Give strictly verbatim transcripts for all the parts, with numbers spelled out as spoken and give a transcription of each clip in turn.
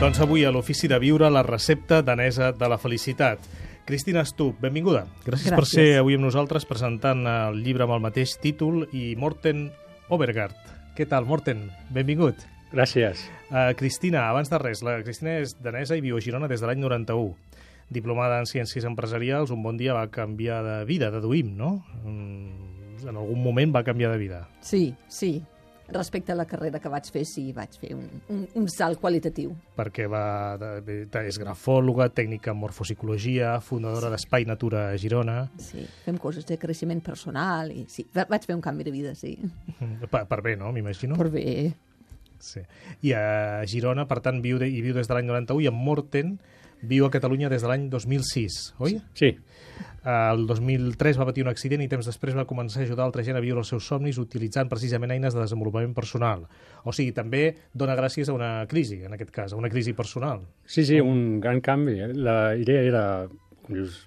Doncs avui a l'Ofici de Viure, la recepta danesa de la felicitat. Cristina Stubb, benvinguda. Gràcies, Gràcies per ser avui amb nosaltres presentant el llibre amb el mateix títol i Morten Overgaard. Què tal, Morten? Benvingut. Gràcies. Uh, Cristina, abans de res, la Cristina és danesa i viu a Girona des de l'any noranta-u. Diplomada en Ciències Empresarials, un bon dia va canviar de vida, deduïm, no? Mm, en algun moment va canviar de vida. Sí, sí. Respecte a la carrera que vaig fer, sí, vaig fer un, un, un salt qualitatiu. Perquè va, de, de, és grafòloga, tècnica en morfopsicologia, fundadora d'Espai Natura a Girona. Sí, fem coses de creixement personal i sí, vaig fer un canvi de vida, sí. Per, per bé, no? M'imagino. Per bé. Sí. I a Girona, per tant, viu de, i viu des de l'any noranta-u, i en Morten viu a Catalunya des de l'any dos mil sis, oi? Sí. El dos mil tres va patir un accident i temps després va començar a ajudar altra gent a viure els seus somnis utilitzant precisament eines de desenvolupament personal. O sigui, també dona gràcies a una crisi, en aquest cas, a una crisi personal. Sí, sí, un gran canvi. La idea era, com dius,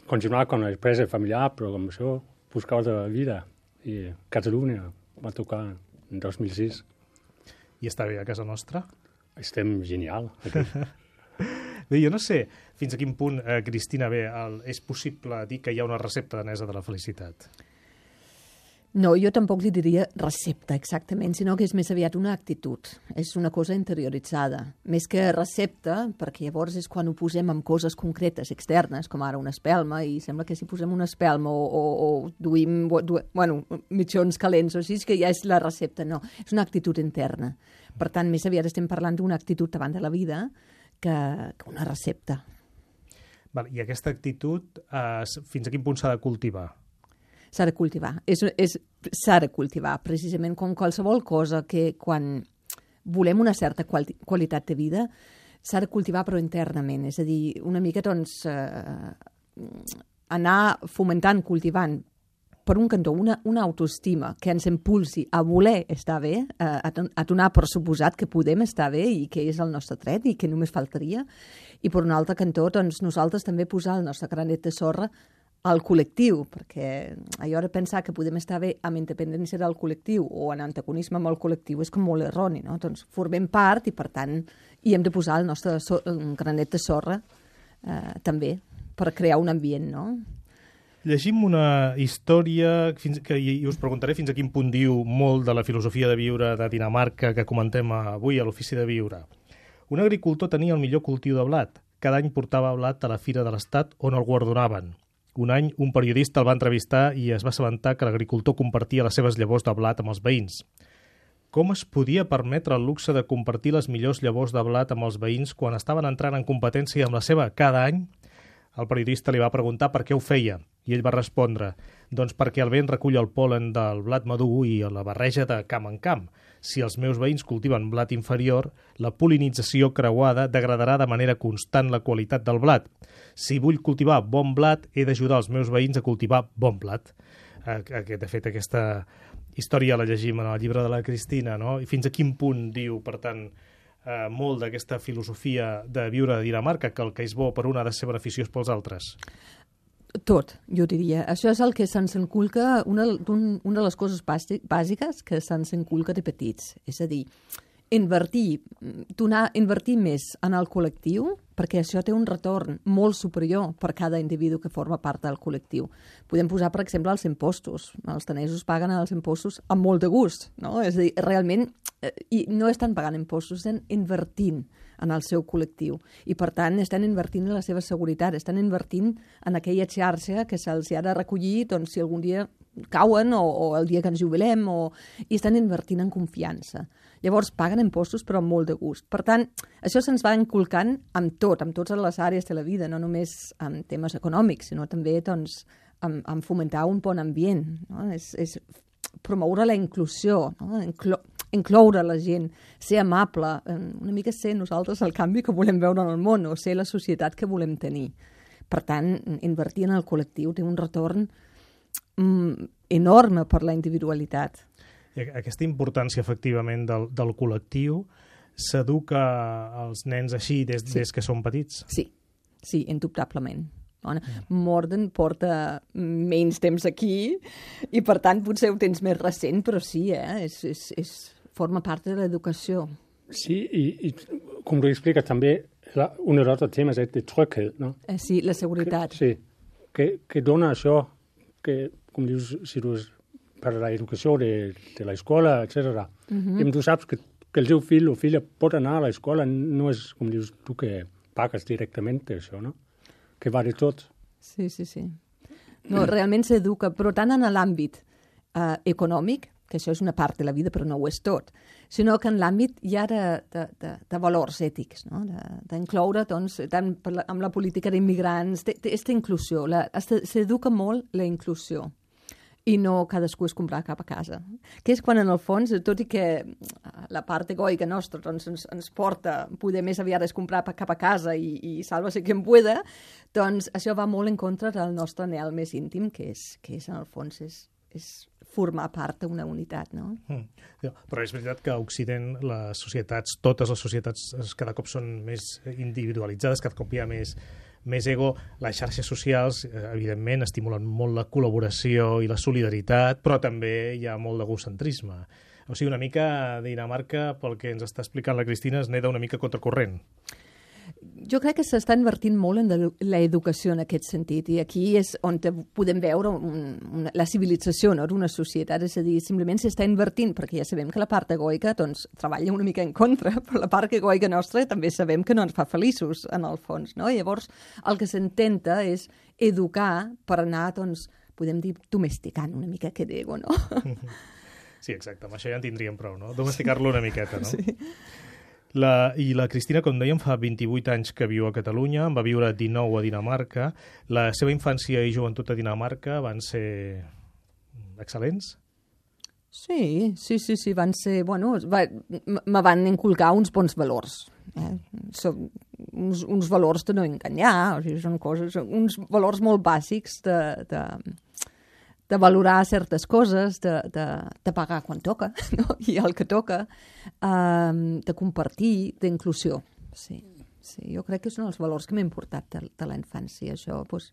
continuar con l'empresa familiar, però com això, buscar altra vida. I Catalunya va tocar en dos mil sis. I està bé a casa nostra? Estem genial, aquí. Bé, jo no sé fins a quin punt, eh, Cristina, bé, el, és possible dir que hi ha una recepta danesa de la felicitat. No, jo tampoc li diria recepta exactament, sinó que és més aviat una actitud. És una cosa interioritzada. Més que recepta, perquè llavors és quan ho posem amb coses concretes, externes, com ara una espelma, i sembla que si posem una espelma o, o, o duim, du, bueno, mitjons calents o així, que ja és la recepta. No, és una actitud interna. Per tant, més aviat estem parlant d'una actitud davant de la vida que, que una recepta. Val, i aquesta actitud, eh, fins a quin punt s'ha de cultivar? S'ha de cultivar. És, és, s'ha de cultivar, precisament com qualsevol cosa que quan volem una certa quali qualitat de vida s'ha de cultivar però internament. És a dir, una mica doncs, eh, anar fomentant, cultivant per un cantó, una, una autoestima que ens impulsi a voler estar bé, a, a donar per suposat que podem estar bé i que és el nostre tret i que només faltaria. I per un altre cantó, doncs, nosaltres també posar el nostre granet de sorra al col·lectiu, perquè allò de pensar que podem estar bé amb independència del col·lectiu o en antagonisme amb el col·lectiu és com molt erroni, no? Doncs formem part i, per tant, hi hem de posar el nostre so granet de sorra eh, també per crear un ambient, no? Llegim una història fins, que, i us preguntaré fins a quin punt diu molt de la filosofia de viure de Dinamarca que comentem avui a l'Ofici de Viure. Un agricultor tenia el millor cultiu de blat. Cada any portava blat a la Fira de l'Estat on el guardonaven. Un any un periodista el va entrevistar i es va assabentar que l'agricultor compartia les seves llavors de blat amb els veïns. Com es podia permetre el luxe de compartir les millors llavors de blat amb els veïns quan estaven entrant en competència amb la seva cada any? El periodista li va preguntar per què ho feia i ell va respondre, doncs perquè el vent recull el pol·len del blat madur i la barreja de camp en camp. Si els meus veïns cultiven blat inferior, la pol·linització creuada degradarà de manera constant la qualitat del blat. Si vull cultivar bon blat, he d'ajudar els meus veïns a cultivar bon blat. De fet, aquesta història la llegim en el llibre de la Cristina, no? I fins a quin punt diu, per tant, eh, molt d'aquesta filosofia de viure a Dinamarca, que el que és bo per un ha de ser beneficiós pels altres? Tot, jo diria. Això és el que se'ns enculca, una, un, una de les coses bàsiques que se'ns enculca de petits. És a dir, invertir, donar, invertir més en el col·lectiu, perquè això té un retorn molt superior per cada individu que forma part del col·lectiu. Podem posar, per exemple, els impostos. Els danesos paguen els impostos amb molt de gust, no? És a dir, realment, eh, i no estan pagant impostos, estan invertint en el seu col·lectiu. I, per tant, estan invertint en la seva seguretat, estan invertint en aquella xarxa que se'ls ha de recollir doncs, si algun dia cauen o, o el dia que ens jubilem, o... i estan invertint en confiança. Llavors, paguen impostos, però amb molt de gust. Per tant, això se'ns va inculcant amb tot, amb totes les àrees de la vida, no només en temes econòmics, sinó també doncs, en, en fomentar un bon ambient. No? És, és promoure la inclusió, no? Inclo incloure la gent, ser amable, una mica ser nosaltres el canvi que volem veure en el món o ser la societat que volem tenir. Per tant, invertir en el col·lectiu té un retorn mm, enorme per la individualitat. Aquesta importància, efectivament, del, del col·lectiu s'educa als nens així des, sí. des que són petits? Sí, sí, indubtablement. Morten porta menys temps aquí i, per tant, potser ho tens més recent, però sí, eh? és, és, és, forma part de l'educació. Sí, i, i com du expliques també, la, un dels altres temes és de tryghed, no? Eh, sí, la seguretat. Que, sí, que, que dona això, que, com dius, si tu per l'educació de, de l'escola, etcètera. Mm-hmm. I tu saps que, que el teu fill o filla pot anar a l'escola, no és, com dius tu, que pagues directament això, no? Que va de tot. Sí, sí, sí. No, realment s'educa, però tant en l'àmbit eh, econòmic, que això és una part de la vida, però no ho és tot, sinó que en l'àmbit ja de, de, de, de valors ètics, no? D'incloure, doncs, tant per la, amb la política d'immigrants, aquesta inclusió, la, s'educa molt la inclusió, i no cadascú es comprar cap a casa. Que és quan, en el fons, tot i que la part egoica nostra doncs, ens, ens porta poder més aviat es comprar cap a casa i, i salva-se qui en pueda, doncs això va molt en contra del nostre anhel més íntim, que és, que és en el fons, és, és formar part d'una unitat, no? Mm. Però és veritat que a Occident les societats, totes les societats cada cop són més individualitzades, cada cop hi ha més més ego. Les xarxes socials, evidentment, estimulen molt la col·laboració i la solidaritat, però també hi ha molt d'egocentrisme. O sigui, una mica Dinamarca, pel que ens està explicant la Cristina, es neda una mica contracorrent. Jo crec que s'està invertint molt en l'educació en aquest sentit, i aquí és on podem veure un, una, la civilització, no?, d'una societat, és a dir, simplement s'està invertint, perquè ja sabem que la part egoica doncs, treballa una mica en contra, però la part egoica nostra també sabem que no ens fa feliços, en el fons, no? Llavors, el que s'intenta és educar per anar, doncs, podem dir, domesticant una mica aquest ego, no? Sí, exacte, amb això ja en tindríem prou, no? Domesticar-lo una miqueta, no? Sí. La, I la Cristina, com dèiem, fa vint-i-vuit anys que viu a Catalunya, en va viure dinou a Dinamarca. La seva infància i joventut a Dinamarca van ser excel·lents? Sí, sí, sí, sí, van ser, bueno, va, me van inculcar uns bons valors. Eh? Són uns, uns valors de no enganyar, o sigui, són coses, uns valors molt bàsics de, de, de valorar certes coses, de, de, de pagar quan toca, no? I el que toca, um, de compartir, d'inclusió. Sí, sí, jo crec que són els valors que m'han importat de, de la infància. Això, doncs,